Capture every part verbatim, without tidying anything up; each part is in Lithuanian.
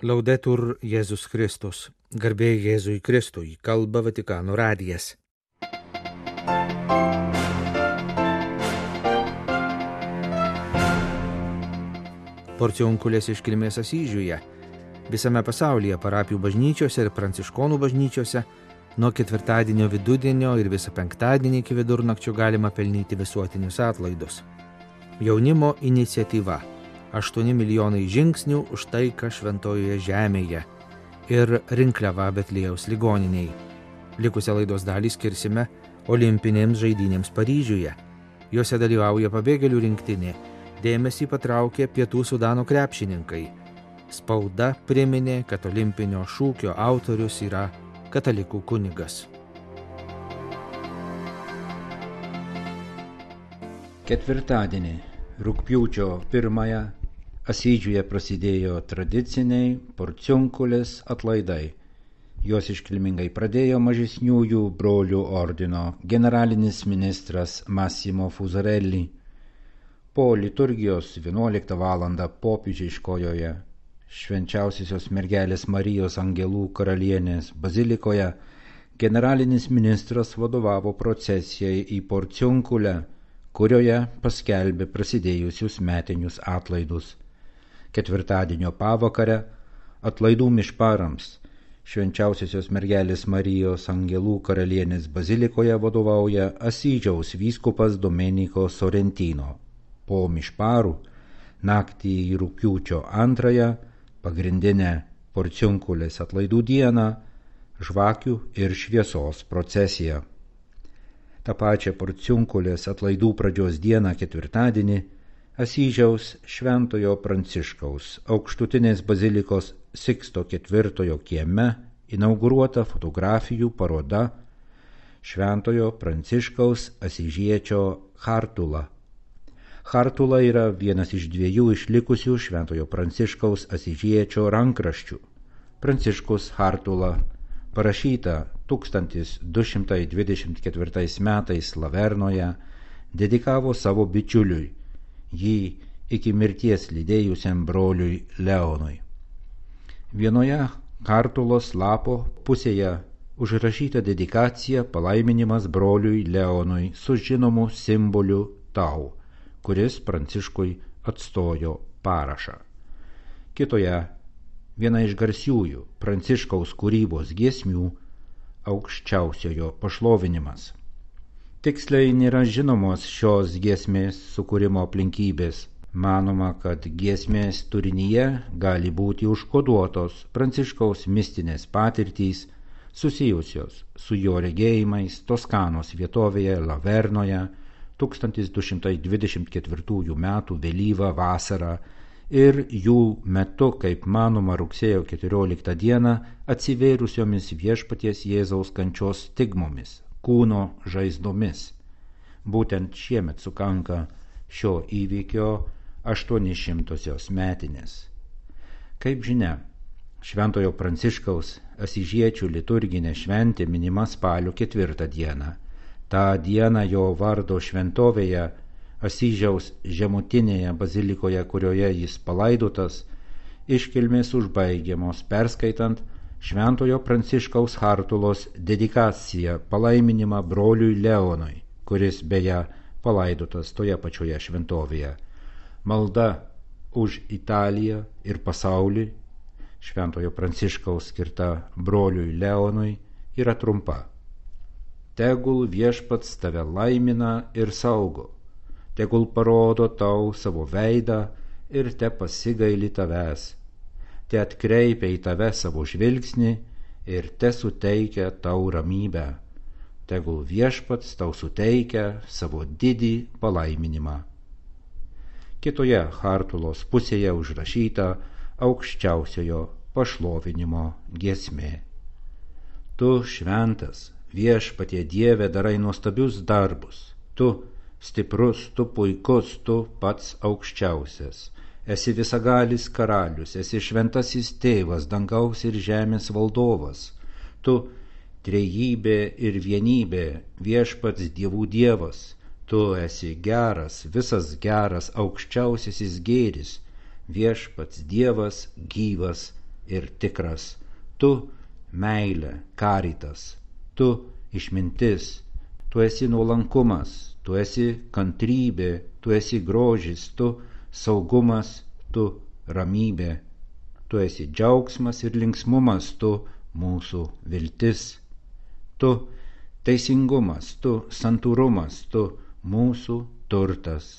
Laudetur Jėzus Kristus. Garbė Jėzui Kristui. Kalba Vatikano radijas. Porciunkulės iškilmės Asyžiuje. Visame pasaulyje parapijų bažnyčiose ir pranciškonų bažnyčiose nuo ketvirtadienio vidudienio ir visą penktadienį iki vidurnakčio galima pelnyti visuotinius atlaidus. Jaunimo iniciatyva. aštuoni milijonai žingsnių už taiką šventojoje žemėje ir rinkliava Betliejaus ligoniniai. Likusią laidos dalį skirsime olimpinėms žaidynėms Paryžiuje. Jose dalyvauja pabėgėlių rinktinė. Dėmesį patraukė Pietų Sudano krepšininkai. Spauda priminė, kad olimpinio šūkio autorius yra katalikų kunigas. Ketvirtadienį, rugpjūčio pirmąją, Asyžiuje prasidėjo tradiciniai porciunkulės atlaidai. Juos iškilmingai pradėjo mažesniųjų brolių ordino generalinis ministras Massimo Fusarelli. Po liturgijos vienuoliktą valandą popiežiškojoje Švenčiausiosios mergelės Marijos Angelų karalienės bazilikoje generalinis ministras vadovavo procesijai į porciunkulę, kurioje paskelbė prasidėjusius metinius atlaidus. Ketvirtadienio pavakare atlaidų mišparams Švenčiausiosios mergelės Marijos Angelų karalienės bazilikoje vadovauja Asyžiaus vyskupas Domenico Sorrentino. Po mišparų naktį į rugpjūčio antrąją, pagrindinę porciunkulės atlaidų dieną, žvakių ir šviesos procesija. Ta pačia porciunkulės atlaidų pradžios dieną ketvirtadienį Asyžiaus Šventojo Pranciškaus aukštutinės bazilikos Siksto ketvirtojo kieme inauguruota fotografijų paroda Šventojo Pranciškaus Asyžiečio Chartula. Chartula yra vienas iš dviejų išlikusių Šventojo Pranciškaus Asyžiečio rankraščių. Pranciškus Chartula, parašyta tūkstantis du šimtai dvidešimt ketvirtais metais Lavernoje, dedikavo savo bičiuliui, jį iki mirties lydėjusiam broliui Leonui. Vienoje Chartulos lapo pusėje užrašyta dedikacija palaiminimas broliui Leonui su žinomu simboliu tau, kuris Pranciškui atstojo parašą. Kitoje viena iš garsiųjų Pranciškaus kūrybos giesmių aukščiausiojo pašlovinimas. Tiksliai nėra žinomos šios giesmės sukūrimo aplinkybės. Manoma, kad giesmės turinyje gali būti užkoduotos Pranciškaus mistinės patirtys susijusios su jo regėjimais Toskanos vietovėje Lavernoje tūkstantis du šimtai dvidešimt ketvirtųjų metų vėlyvą vasarą ir jų metu, kaip manoma, rugsėjo keturioliktą dieną atsivėrusiomis viešpaties Jėzaus kančios stigmomis, kūno žaizdomis. Būtent šiemet sukanka šio įvykio aštuonišimtosios metinės. Kaip žinia, Šventojo Pranciškaus Asyžiečių liturginė šventė minima spalio ketvirtą dieną. Ta diena jo vardo šventovėje Asyžiaus žemutinėje bazilikoje, kurioje jis palaidotas, iškilmės užbaigiamos perskaitant Šventojo Pranciškaus Chartulos dedikaciją palaiminimą broliui Leonui, kuris beje palaidotas toje pačioje šventovėje. Malda už Italiją ir pasaulį Šventojo Pranciškaus skirta broliui Leonui yra trumpa. Tegul viešpats tave laimina ir saugo, tegul parodo tau savo veidą ir te pasigaili tavęs, te atkreipia į tave savo žvilgsnį ir te suteikia tau ramybę. Tegul viešpats tau suteikia savo didį palaiminimą. Kitoje Chartulos pusėje užrašyta aukščiausiojo pašlovinimo giesmė. Tu šventas, viešpatie Dieve, darai nuostabius darbus. Tu stiprus, tu puikus, tu pats aukščiausias. Esi visagalis karalius, esi šventasis tėvas, dangaus ir žemės valdovas. Tu trejybė ir vienybė, viešpats dievų dievas. Tu esi geras, visas geras, aukščiausiasis gėris, viešpats dievas gyvas ir tikras, tu meilė, karitas, tu išmintis, tu esi nuolankumas, tu esi kantrybė, tu esi grožis, tu saugumas, tu ramybė, tu esi džiaugsmas ir linksmumas, tu mūsų viltis, tu teisingumas, tu santūrumas, tu mūsų turtas.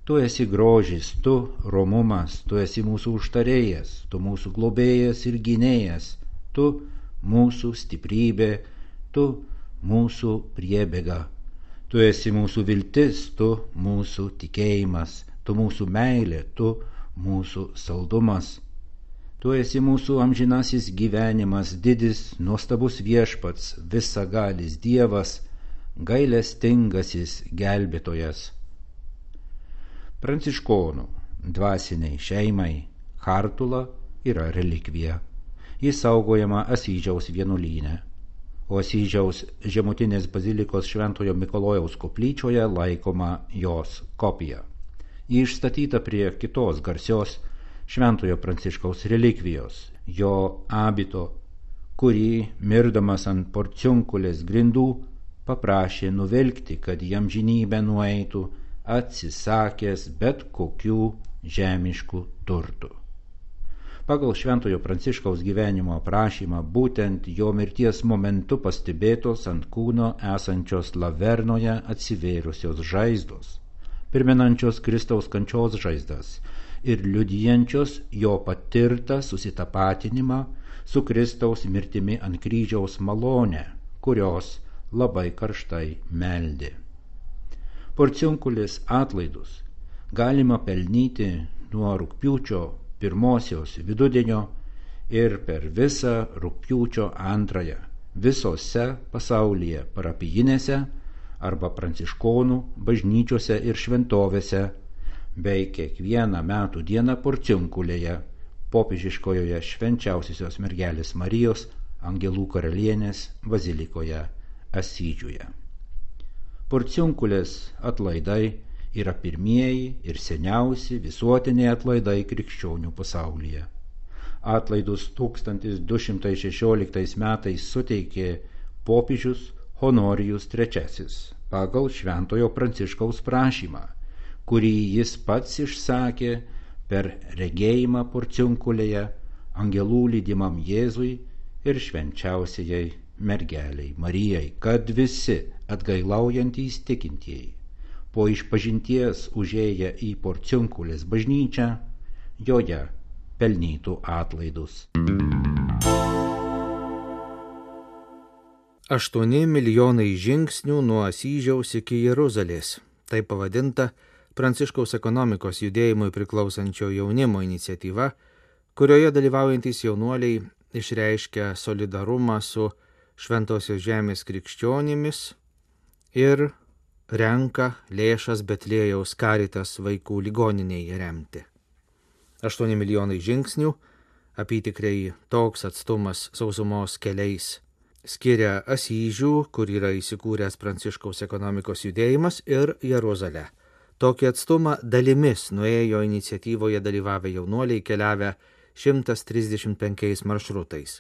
Tu esi grožis, tu romumas, tu esi mūsų užtarėjas, tu mūsų globėjas ir gynėjas, tu mūsų stiprybė, tu mūsų priebėga. Tu esi mūsų viltis, tu mūsų tikėjimas, tu mūsų meilė, tu mūsų saldumas. Tu esi mūsų amžinasis gyvenimas, didis, nuostabus viešpats, visagalis Dievas, gailestingasis gelbėtojas. Pranciškonų dvasiniai šeimai chartula yra relikvija. Jis saugojama Asyžiaus vienuolyne, o Asyžiaus žemutinės bazilikos Šventojo Mikalojaus koplyčioje laikoma jos kopija. Ji išstatyta prie kitos garsios Šventojo Pranciškaus relikvijos, jo abito, kurį, mirdamas ant porciunkulės grindų, paprašė nuvilkti, kad jam žinybę nueitų, atsisakęs bet kokių žemiškų turtų. Pagal Šventojo Pranciškaus gyvenimo aprašymą, būtent jo mirties momentu pastebėtos ant kūno esančios lavernoje atsivėrusios žaizdos, primenančios Kristaus kančios žaizdas ir liudijančios jo patirtą susitapatinimą su Kristaus mirtimi ant kryžiaus malonę, kurios labai karštai meldė. Porciunkulės atlaidus galima pelnyti nuo rugpjūčio pirmosios vidudienio ir per visą rugpjūčio antrąją visose pasaulyje parapijinėse arba pranciškonų bažnyčiose ir šventovėse, bei kiekvieną metų dieną porciunkulėje, popiežiškojoje švenčiausiosios mergelės Marijos Angelų karalienės bazilikoje Asyžiuje. Porciunkulės atlaidai yra pirmieji ir seniausi visuotiniai atlaidai krikščionių pasaulyje. Atlaidus tūkstantis du šimtai šešioliktais metais suteikė popiežius Honorijus trečiasis pagal Šventojo Pranciškaus prašymą, kurį jis pats išsakė per regėjimą porciunkulėje angelų lydimam Jėzui ir švenčiausiai mergeliai Marijai, kad visi atgailaujantys tikintieji po išpažinties užėję į porciunkulės bažnyčią joje pelnytų atlaidus. Aštuoni milijonai žingsnių nuo Asyžiaus iki Jeruzalės. Tai pavadinta Pranciškaus ekonomikos judėjimui priklausančio jaunimo iniciatyva, kurioje dalyvaujantys jaunuoliai išreiškia solidarumą su Šventosios žemės krikščionimis ir renka lėšas Betliejaus Karitas vaikų ligoninėje remti. Aštuoni milijonai žingsnių, apytikriai toks atstumas sausumos keliais, skiria Asyžių, kur yra įsikūręs Pranciškaus ekonomikos judėjimas, ir Jeruzalę. Tokį atstumą dalimis nuėjo iniciatyvoje dalyvavę jaunuoliai keliavę šimtas trisdešimt penkiais maršrutais.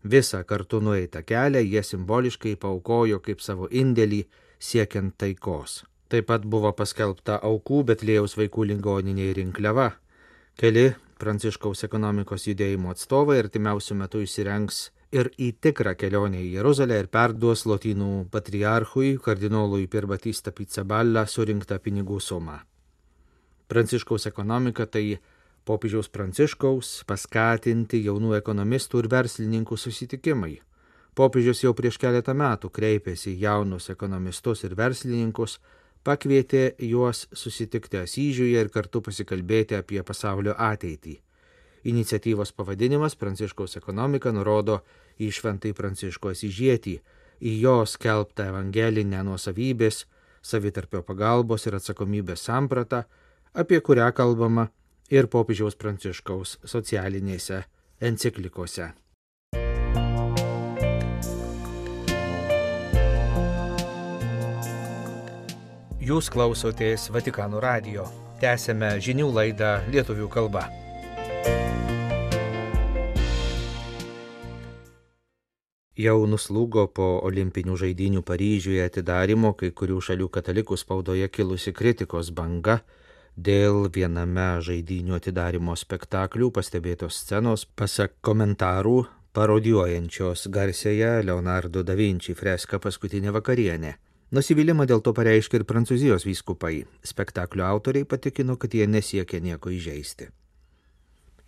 Visą kartu nueitą kelią jie simboliškai paaukojo kaip savo indėlį siekiant taikos. Taip pat buvo paskelbta aukų Betliejaus vaikų ligoninėje rinkliava. Keli Pranciškaus ekonomikos judėjimo atstovai artimiausiu metu įsirengs ir į tikrą kelionę į Jeruzalę ir perduos Lotynų patriarchui kardinolui Pier Battista Pizzaballa surinktą pinigų sumą. Pranciškaus ekonomika tai popiežiaus Pranciškaus paskatinti jaunų ekonomistų ir verslininkų susitikimai. Popiežius jau prieš keletą metų kreipėsi į jaunus ekonomistus ir verslininkus, pakvietė juos susitikti Asyžiuje ir kartu pasikalbėti apie pasaulio ateitį. Iniciatyvos pavadinimas Pranciškaus ekonomika nurodo į Šventąjį Pranciškų Asyžietį, į jo skelbtą evangelinę nuosavybės, savitarpio pagalbos ir atsakomybės sampratą, apie kurią kalbama ir popiežiaus Pranciškaus socialinėse enciklikose. Jūs klausotės Vatikano radijo. Tęsėme žinių laidą lietuvių kalba. Jau nuslūgo po olimpinių žaidynių Paryžiuje atidarimo kai kurių šalių katalikų spaudoje kilusi kritikos banga dėl viename žaidynių atidarimo spektaklių pastebėtos scenos, pasak komentarų, parodijuojančios garsiąją Leonardo da Vinci freską Paskutinė vakarienė. Nusivylimą dėl to pareiškė ir Prancūzijos vyskupai. Spektaklio autoriai patikino, kad jie nesiekia nieko įžeisti.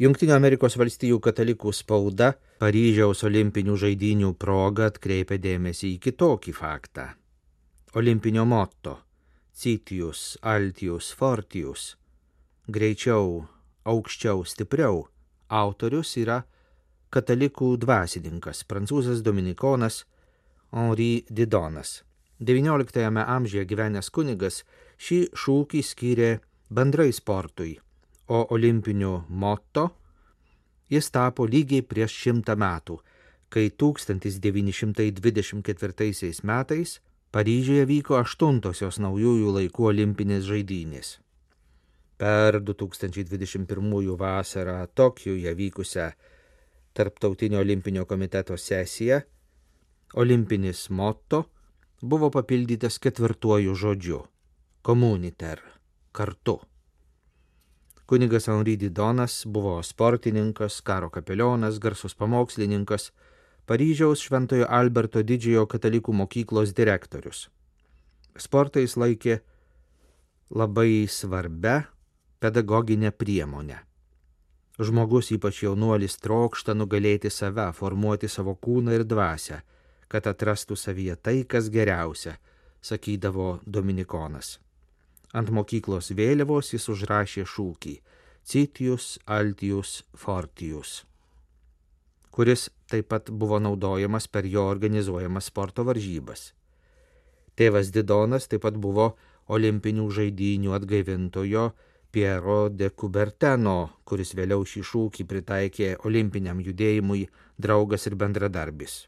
Jungtinių Amerikos valstijų katalikų spauda Paryžiaus olimpinių žaidynių proga atkreipia dėmesį į kitokį faktą. Olimpinio motto Citius, Altius, Fortius – greičiau, aukščiau, stipriau – autorius yra katalikų dvasininkas, prancūzas dominikonas Henri Didonas. devynioliktajame amžiuje gyvenęs kunigas šį šūkį skyrė bendrai sportui, o olimpiniu motto jis tapo lygiai prieš šimtą metų, kai tūkstantis devyni šimtai dvidešimt ketvirtaisiais metais Paryžiuje vyko aštuntosios naujųjų laikų olimpinės žaidynės. Per du tūkstančiai dvidešimt pirmųjų vasarą Tokijuje vykusią Tarptautinio olimpinio komiteto sesiją olimpinis motto buvo papildytas ketvirtuoju žodžiu – communiter – kartu. Kunigas Henri Didonas buvo sportininkas, karo kapelionas, garsus pamokslininkas, Paryžiaus Šventojo Alberto didžiojo katalikų mokyklos direktorius. Sportą jis laikė labai svarbia pedagoginė priemonė. Žmogus, ypač jaunuolis, trokšta nugalėti save, formuoti savo kūną ir dvasią, kad atrastų savyje tai, kas geriausia, sakydavo dominikonas. Ant mokyklos vėliavos jis užrašė šūkį Citius, Altius, Fortius, kuris taip pat buvo naudojamas per jo organizuojamas sporto varžybas. Tėvas Didonas taip pat buvo olimpinių žaidynių atgaivintojo Piero de Coubertino, kuris vėliau šį šūkį pritaikė olimpiniam judėjimui, draugas ir bendradarbis.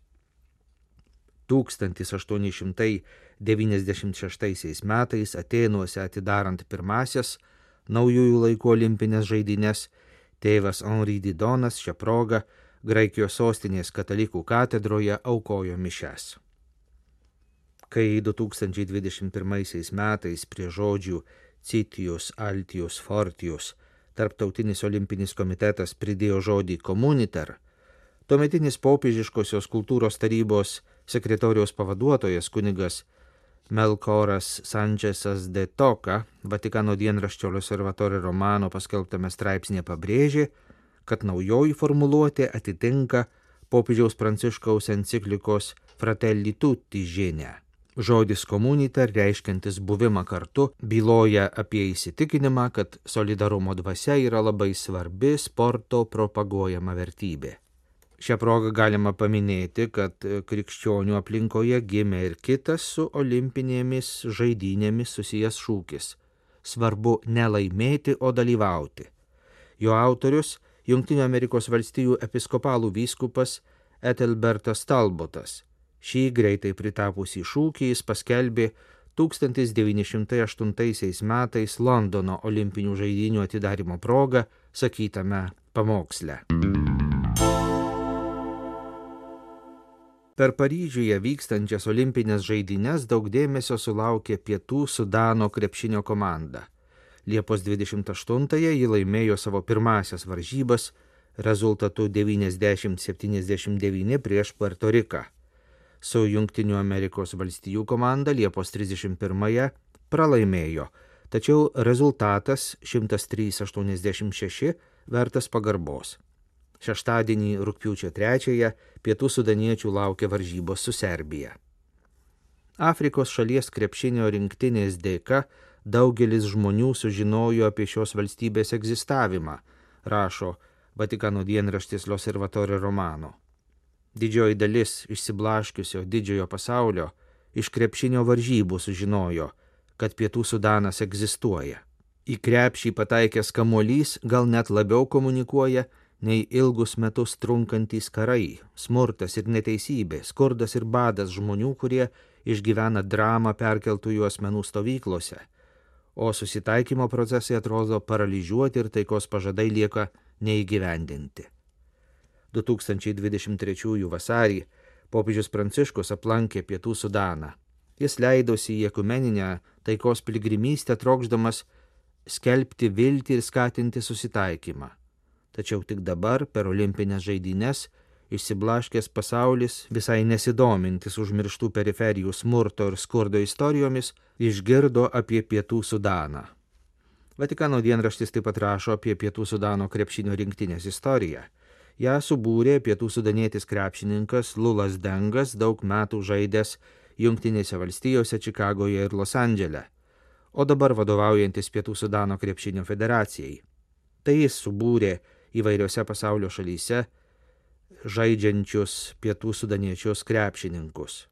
tūkstantis aštuoni šimtai devyniasdešimt šeštaisiais metais Atėnuose atidarant pirmasias naujųjų laikų olimpinės žaidynes, tėvas Henri Didonas šią progą Graikijos sostinės katalikų katedroje aukojo mišias. Kai du tūkstančiai dvidešimt pirmaisiais metais prie žodžių Citius, Altius, Fortius Tarptautinis olimpinis komitetas pridėjo žodį communiter, tuometinis popiežiškosios kultūros tarybos sekretoriaus pavaduotojas kunigas Melkoras Sančesas de Toka Vatikano dienraščio L'Osservatore Romano paskelbtame straipsnėje pabrėžė, kad naujoji formuluotė atitinka popiežiaus Pranciškaus enciklikos Fratelli Tutti žinią. Žodis communiter, reiškiantis buvimą kartu, byloja apie įsitikinimą, kad solidarumo dvasia yra labai svarbi sporto propaguojama vertybė. Šią progą galima paminėti, kad krikščionių aplinkoje gimė ir kitas su olimpinėmis žaidynėmis susijęs šūkis – svarbu ne laimėti, o dalyvauti. Jo autorius – Jungtinių Amerikos valstijų episkopalų vyskupas Ethelbertas Talbotas. Šį greitai pritapusį šūkį jis paskelbė tūkstantis devyni šimtai aštuntaisiais metais Londono olimpinių žaidynių atidarymo proga sakytame pamoksle. Per Paryžiuje vykstančias olimpinės žaidynes daug dėmesio sulaukė Pietų Sudano krepšinio komanda. Liepos dvidešimt aštuntąją ji laimėjo savo pirmasias varžybas rezultatu devyniasdešimt septyniasdešimt devyni prieš Puerto Riką. Su Jungtinių Amerikos valstijų komanda Liepos trisdešimt pirmąją pralaimėjo, tačiau rezultatas šimtas trys aštuoniasdešimt šeši vertas pagarbos. Šeštadienį rugpjūčio trečiąją Pietų sudaniečių laukia varžybos su Serbija. Afrikos šalies krepšinio rinktinės dėka daugelis žmonių sužinojo apie šios valstybės egzistavimą, rašo Vatikano dienraštis L'Osservatore Romano. Didžioji dalis išsiblaškiusio didžiojo pasaulio iš krepšinio varžybų sužinojo, kad Pietų Sudanas egzistuoja. Į krepšį pataikęs kamuolys gal net labiau komunikuoja nei ilgus metus trunkantys karai, smurtas ir neteisybė, skurdas ir badas žmonių, kurie išgyvena dramą perkeltųjų asmenų stovyklose, o susitaikymo procesai atrodo paralyžiuoti ir taikos pažadai lieka neįgyvendinti. du tūkstančiai dvidešimt trečiųjų vasarį Popiežius Pranciškus aplankė Pietų Sudaną. Jis leidosi į ekumeninę taikos piligrimystę, trokšdamas skelbti viltį ir skatinti susitaikymą. Tačiau tik dabar, per olimpinės žaidynes, išsiblaškęs pasaulis, visai nesidomintis užmirštų periferijų smurto ir skurdo istorijomis, išgirdo apie Pietų Sudaną. Vatikano dienraštis taip pat rašo apie Pietų Sudano krepšinio rinktinės istoriją. Ja subūrė pietų sudanietis krepšininkas Lulas Dengas, daug metų žaidęs Jungtinėse valstijose, Čikagoje ir Los Andžele, o dabar vadovaujantis Pietų Sudano krepšinio federacijai. Tai jis subūrė įvairiose pasaulio šalyse žaidžiančius pietų sudaniečius krepšininkus.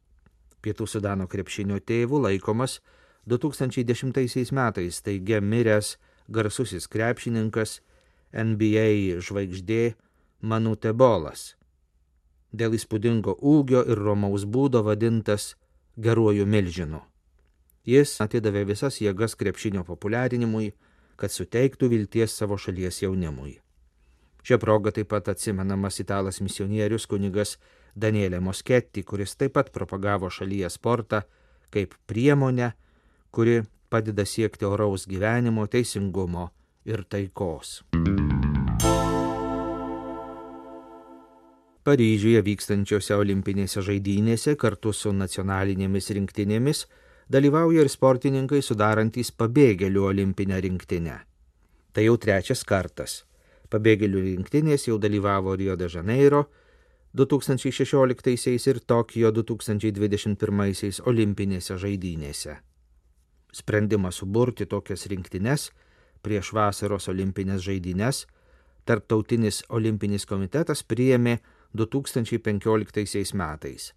Pietų Sudano krepšinio tėvų laikomas du tūkstančiai dešimtaisiais metais taigia miręs garsusis krepšininkas N B A žvaigždė Manu Tebolas, dėl įspūdingo ūgio ir romaus būdo vadintas geruoju milžinu. Jis atidavė visas jėgas krepšinio populiarinimui, kad suteiktų vilties savo šalies jaunimui. Šią progą taip pat atsimenamas italas misionierius kunigas Daniele Moschetti, kuris taip pat propagavo šalyje sportą kaip priemonę, kuri padeda siekti oraus gyvenimo, teisingumo ir taikos. Paryžiuje vykstančiose olimpinėse žaidynėse kartu su nacionalinėmis rinktinėmis dalyvauja ir sportininkai sudarantys pabėgėlių olimpinę rinktinę. Tai jau trečias kartas. Pabėgėlių rinktinės jau dalyvavo Rio de Janeiro du tūkstančiai šešioliktaisiais ir Tokijo du tūkstančiai dvidešimt pirmaisiais olimpinėse žaidynėse. Sprendimą suburti tokias rinktines prieš vasaros olimpinės žaidynes Tarptautinis olimpinis komitetas priėmė du tūkstančiai penkioliktaisiais metais.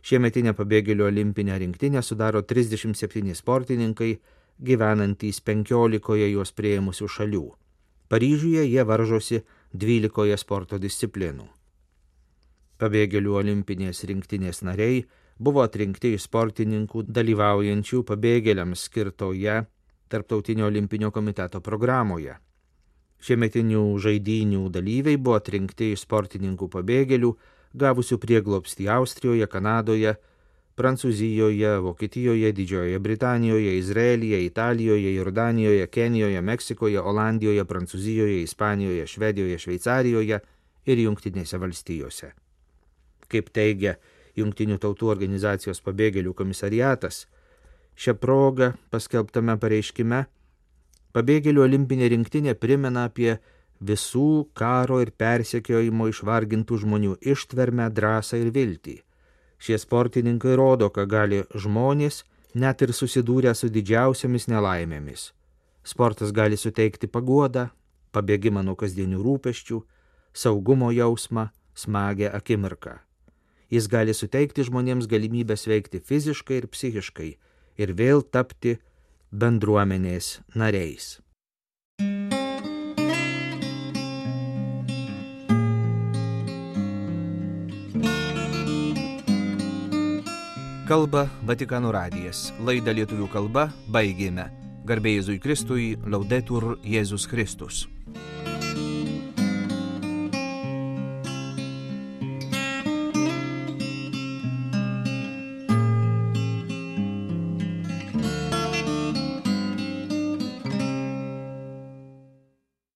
Šiemetinę pabėgėlių olimpinę rinktinę sudaro trisdešimt septyni sportininkai, gyvenantys penkiolikoje juos priėmusių šalių. Paryžiuje jie varžosi dvylikoje sporto disciplinų. Pabėgėlių olimpinės rinktinės nariai buvo atrinkti iš sportininkų dalyvaujančių pabėgėliams skirtoje Tarptautinio olimpinio komiteto programoje. Šiemetinių žaidynių dalyviai buvo atrinkti iš sportininkų pabėgėlių, gavusių prieglobstį Austrijoje, Kanadoje, Prancūzijoje, Vokietijoje, Didžiojoje Britanijoje, Izraelyje, Italijoje, Jordanijoje, Kenijoje, Meksikoje, Olandijoje, Prancūzijoje, Ispanijoje, Švedijoje, Šveicarijoje ir Jungtinėse valstijose. Kaip teigia Jungtinių tautų organizacijos pabėgėlių komisariatas, šią progą paskelbtame pareiškime pabėgėlių olimpinė rinktinė primena apie visų karo ir persekiojimo išvargintų žmonių ištvermę, drąsą ir viltį. Šie sportininkai rodo, ką gali žmonės net ir susidūrę su didžiausiamis nelaimėmis. Sportas gali suteikti paguodą, pabėgimą nuo kasdienių rūpesčių, saugumo jausmą, smagią akimirką. Jis gali suteikti žmonėms galimybę sveikti fiziškai ir psichiškai ir vėl tapti bendruomenės nariais. Kalba Vatikano radijas. Laidą lietuvių kalba baigėme. Garbė Jėzui Kristui, Laudetur Jėzus Kristus.